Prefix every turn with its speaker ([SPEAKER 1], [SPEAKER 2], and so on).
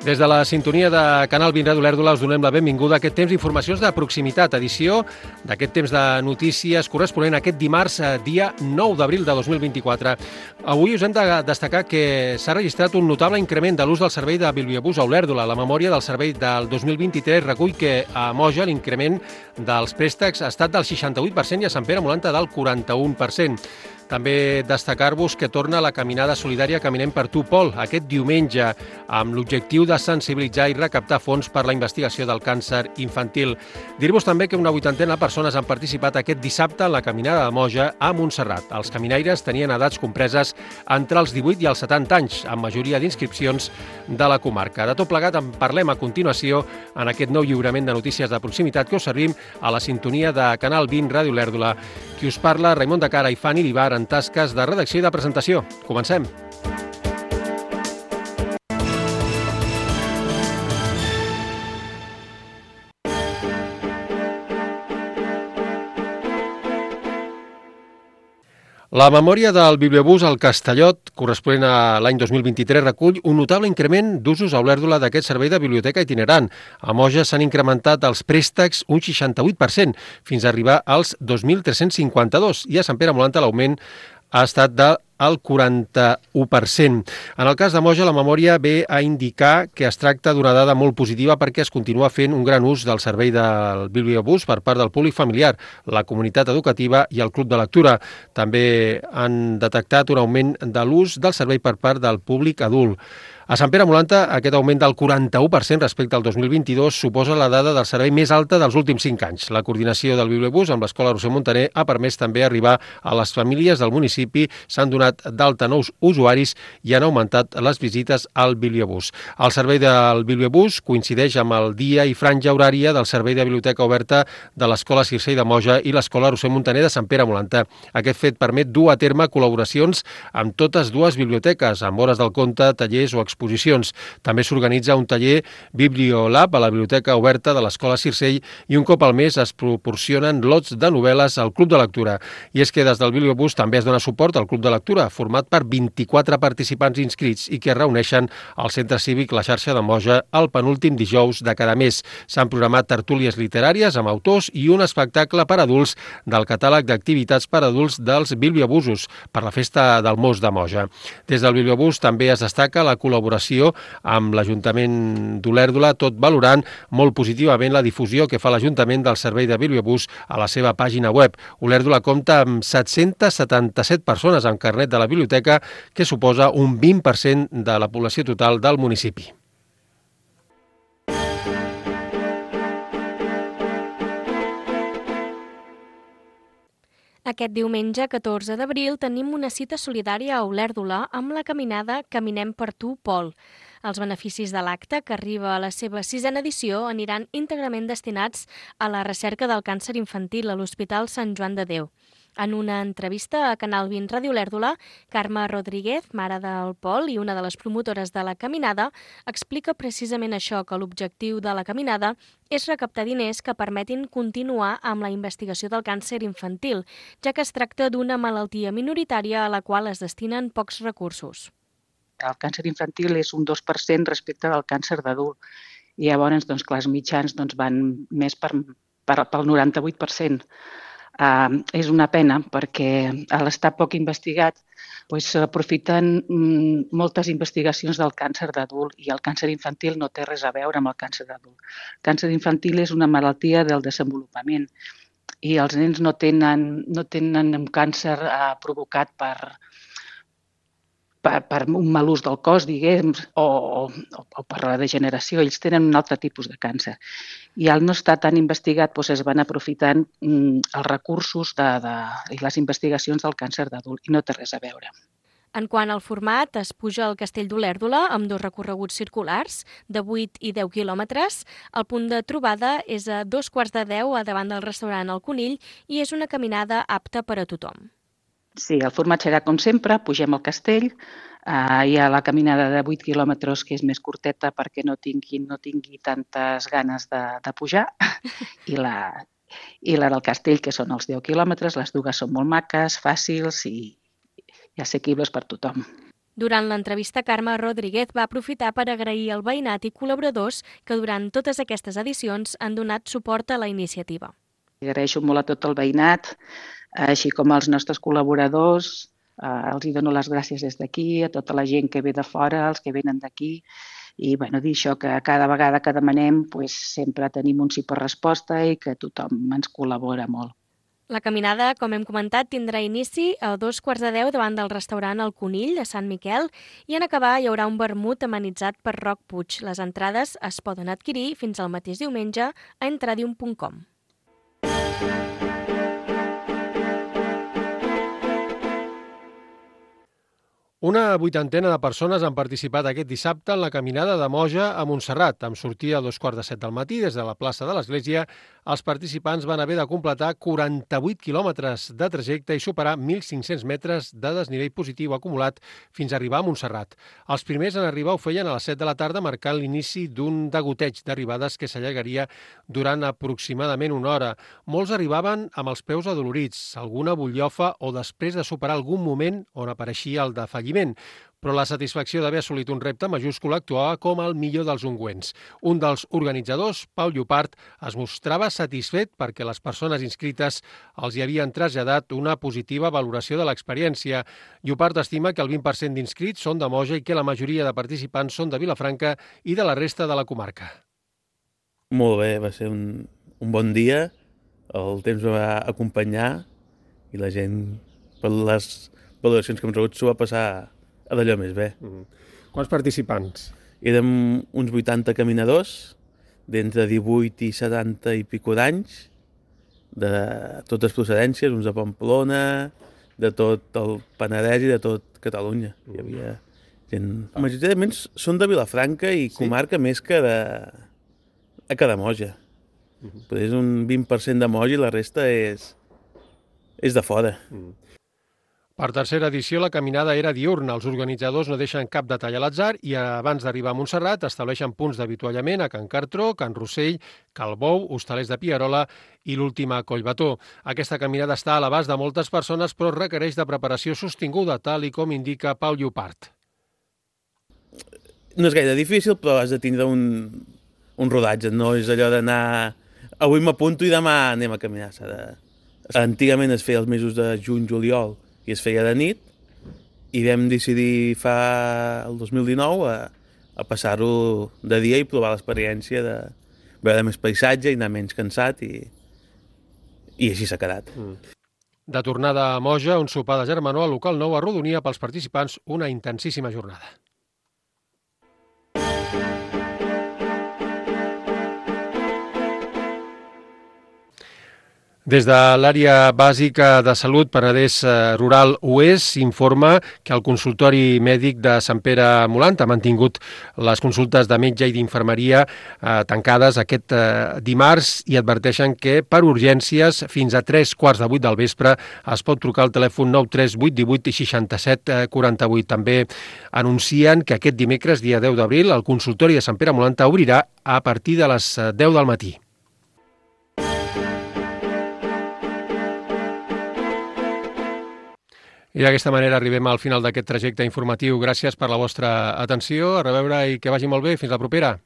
[SPEAKER 1] Des de la sintonia de Canal 20 Ràdio Olèrdola us donem la benvinguda a aquest temps d'informacions de proximitat, edició d'aquest temps de notícies corresponent a aquest dimarts, dia 9 d'abril de 2024. Avui us hem de destacar que s'ha registrat un notable increment de l'ús del servei de bibliobús a Olèrdola. La memòria del servei del 2023 recull que a Moja l'increment dels préstecs ha estat del 68% i a Sant Pere Molanta del 41%. També destacar-vos que torna la caminada solidària Caminem per tu, Pol, aquest diumenge, amb l'objectiu de sensibilitzar i recaptar fons per la investigació del càncer infantil. Dir-vos també que una 80ena de persones han participat aquest dissabte en la caminada de Moja a Montserrat. Els caminaires tenien edats compreses entre els 18 i els 70 anys, amb majoria d'inscripcions de la comarca. De tot plegat en parlem a continuació en aquest nou lliurament de notícies de proximitat que us servim a la sintonia de Canal 20 Ràdio Olèrdola. Qui us parla, Raimon de Cara i Fanny Vivar, en tasques de redacció i de presentació. Comencem. La memòria del bibliobús al Castellot, corresponent a l'any 2023, recull un notable increment d'usos a Olèrdola d'aquest servei de biblioteca itinerant. A Moja s'han incrementat els préstecs un 68%, fins a arribar als 2.352, i a Sant Pere Molanta l'augment ha estat del 41%. En el cas de Moja, la memòria ve a indicar que es tracta d'una dada molt positiva perquè es continua fent un gran ús del servei del bibliobús per part del públic familiar, la comunitat educativa i el club de lectura. També han detectat un augment de l'ús del servei per part del públic adult. A Sant Pere Molanta, aquest augment del 41% respecte al 2022 suposa la dada del servei més alta dels últims 5 anys. La coordinació del bibliobús amb l'Escola Roser Montaner ha permès també arribar a les famílies del municipi, s'han donat d'alta nous usuaris i han augmentat les visites al bibliobús. El servei del bibliobús coincideix amb el dia i franja horària del servei de biblioteca oberta de l'Escola Circell de Moja i l'Escola Roser Montaner de Sant Pere Molanta. Aquest fet permet dur a terme col·laboracions amb totes dues biblioteques, amb hores del conte, tallers o exposicions. També s'organitza un taller Bibliolab a la Biblioteca Oberta de l'Escola Circell i un cop al mes es proporcionen lots de novel·les al Club de Lectura. I és que des del bibliobús també es dona suport al Club de Lectura, format per 24 participants inscrits i que es reuneixen al Centre Cívic La Xarxa de Moja el penúltim dijous de cada mes. S'han programat tertúlies literàries amb autors i un espectacle per adults del catàleg d'activitats per adults dels bibliobusos per la Festa del Mos de Moja. Des del bibliobús també es destaca la col·laboració amb l'Ajuntament d'Olèrdola, tot valorant molt positivament la difusió que fa l'Ajuntament del servei de bibliobús a la seva pàgina web. Olèrdola compta amb 777 persones amb carnet de la biblioteca, que suposa un 20% de la població total del municipi.
[SPEAKER 2] Aquest diumenge, 14 d'abril, tenim una cita solidària a Olèrdola amb la caminada Caminem per tu, Pol. Els beneficis de l'acte, que arriba a la seva 6a edició, aniran íntegrament destinats a la recerca del càncer infantil a l'Hospital Sant Joan de Déu. En una entrevista a Canal 20 Ràdio Olèrdola, Carme Rodríguez, mare del Pol i una de les promotores de la caminada, explica precisament això, que l'objectiu de la caminada és recaptar diners que permetin continuar amb la investigació del càncer infantil, ja que es tracta d'una malaltia minoritària a la qual es destinen pocs recursos.
[SPEAKER 3] El càncer infantil és un 2% respecte del càncer d'adult. I llavors, clar, els mitjans van més pel 98%. És una pena perquè a l'estar poc investigat s'aprofiten moltes investigacions del càncer d'adult i el càncer infantil no té res a veure amb el càncer d'adult. El càncer infantil és una malaltia del desenvolupament i els nens no tenen un càncer provocat per un mal ús del cos, diguem, o per la degeneració. Ells tenen un altre tipus de càncer. I al no estar tan investigat es van aprofitant els recursos i les investigacions del càncer d'adult i no té res a veure.
[SPEAKER 2] En quant al format, es puja al Castell d'Olèrdola amb 2 recorreguts circulars de 8 i 10 quilòmetres. El punt de trobada és a 9:45 davant del restaurant El Conill i és una caminada apta per a tothom.
[SPEAKER 3] Sí, el format serà com sempre, pugem al castell, hi ha la caminada de 8 quilòmetres que és més curteta perquè no tingui tantes ganes de pujar i la del castell que són els 10 quilòmetres, les dues són molt maques, fàcils i assequibles per tothom.
[SPEAKER 2] Durant l'entrevista, Carme Rodríguez va aprofitar per agrair al veïnat i col·laboradors que durant totes aquestes edicions han donat suport a la iniciativa.
[SPEAKER 3] Agraeixo molt a tot el veïnat, així com als nostres col·laboradors. Els hi dono les gràcies des d'aquí, a tota la gent que ve de fora, els que venen d'aquí. I dir això, que cada vegada que demanem sempre tenim un sí per resposta i que tothom ens col·labora molt.
[SPEAKER 2] La caminada, com hem comentat, tindrà inici a 9:45 davant del restaurant El Conill de Sant Miquel i en acabar hi haurà un vermut amenitzat per Roc Puig. Les entrades es poden adquirir fins al mateix diumenge a entradium.com.
[SPEAKER 1] Una vuitantena de persones han participat aquest dissabte en la caminada de Moja a Montserrat. Amb sortida a 2:45 del matí des de la plaça de l'Església, els participants van haver de completar 48 quilòmetres de trajecte i superar 1.500 metres de desnivell positiu acumulat fins a arribar a Montserrat. Els primers en arribar ho feien a les 7 de la tarda, marcant l'inici d'un degoteig d'arribades que s'allargaria durant aproximadament una hora. Molts arribaven amb els peus adolorits, alguna butllofa o després de superar algun moment on apareixia el defalliment. Però la satisfacció d'haver assolit un repte majúscul actuava com el millor dels ungüents. Un dels organitzadors, Pau Llopart, es mostrava satisfet perquè les persones inscrites els hi havien traslladat una positiva valoració de l'experiència. Llopart estima que el 20% d'inscrits són de Moja i que la majoria de participants són de Vilafranca i de la resta de la comarca.
[SPEAKER 4] Molt bé, va ser un bon dia, el temps va acompanyar i la gent, per les valoracions que hem rebut, s'ho va passar a d'allò més bé.
[SPEAKER 1] Quants participants?
[SPEAKER 4] Érem uns 80 caminadors, d'entre 18 i 70 i pico d'anys, de totes procedències, uns de Pamplona, de tot el Penedès i de tot Catalunya. Hi havia gent... Majoritàriament són de Vilafranca i comarca més que de Moja. Però és un 20% de Moja i la resta és de fora.
[SPEAKER 1] Per tercera edició, la caminada era diurna. Els organitzadors no deixen cap detall a l'atzar i abans d'arribar a Montserrat estableixen punts d'avituallament a Can Cartró, Can Rossell, Calbou, Hostalers de Pierola i l'última a Collbató. Aquesta caminada està a l'abast de moltes persones, però requereix de preparació sostinguda, tal i com indica Pau Llopart.
[SPEAKER 4] No és gaire difícil, però has de tindre un rodatge. No és allò d'anar... Avui m'apunto i demà anem a caminar. Antigament es feia els mesos de juny-juliol i es feia de nit, i vam decidir el 2019 a passar-ho de dia i provar l'experiència de veure més paisatge i anar menys cansat, i així s'ha quedat.
[SPEAKER 1] De tornada a Moja, un sopar de germanor al local nou arrodonia pels participants una intensíssima jornada. Des de l'àrea bàsica de salut Penedès Rural Oest s'informa que el consultori mèdic de Sant Pere Molant ha mantingut les consultes de metge i d'infermeria tancades aquest dimarts i adverteixen que per urgències fins a 3:15 del vespre es pot trucar al telèfon 93818 67 48. També anuncien que aquest dimecres, dia 10 d'abril, el consultori de Sant Pere Molant obrirà a partir de les 10 del matí. I d'aquesta manera arribem al final d'aquest trajecte informatiu. Gràcies per la vostra atenció. A reveure i que vagi molt bé. Fins la propera.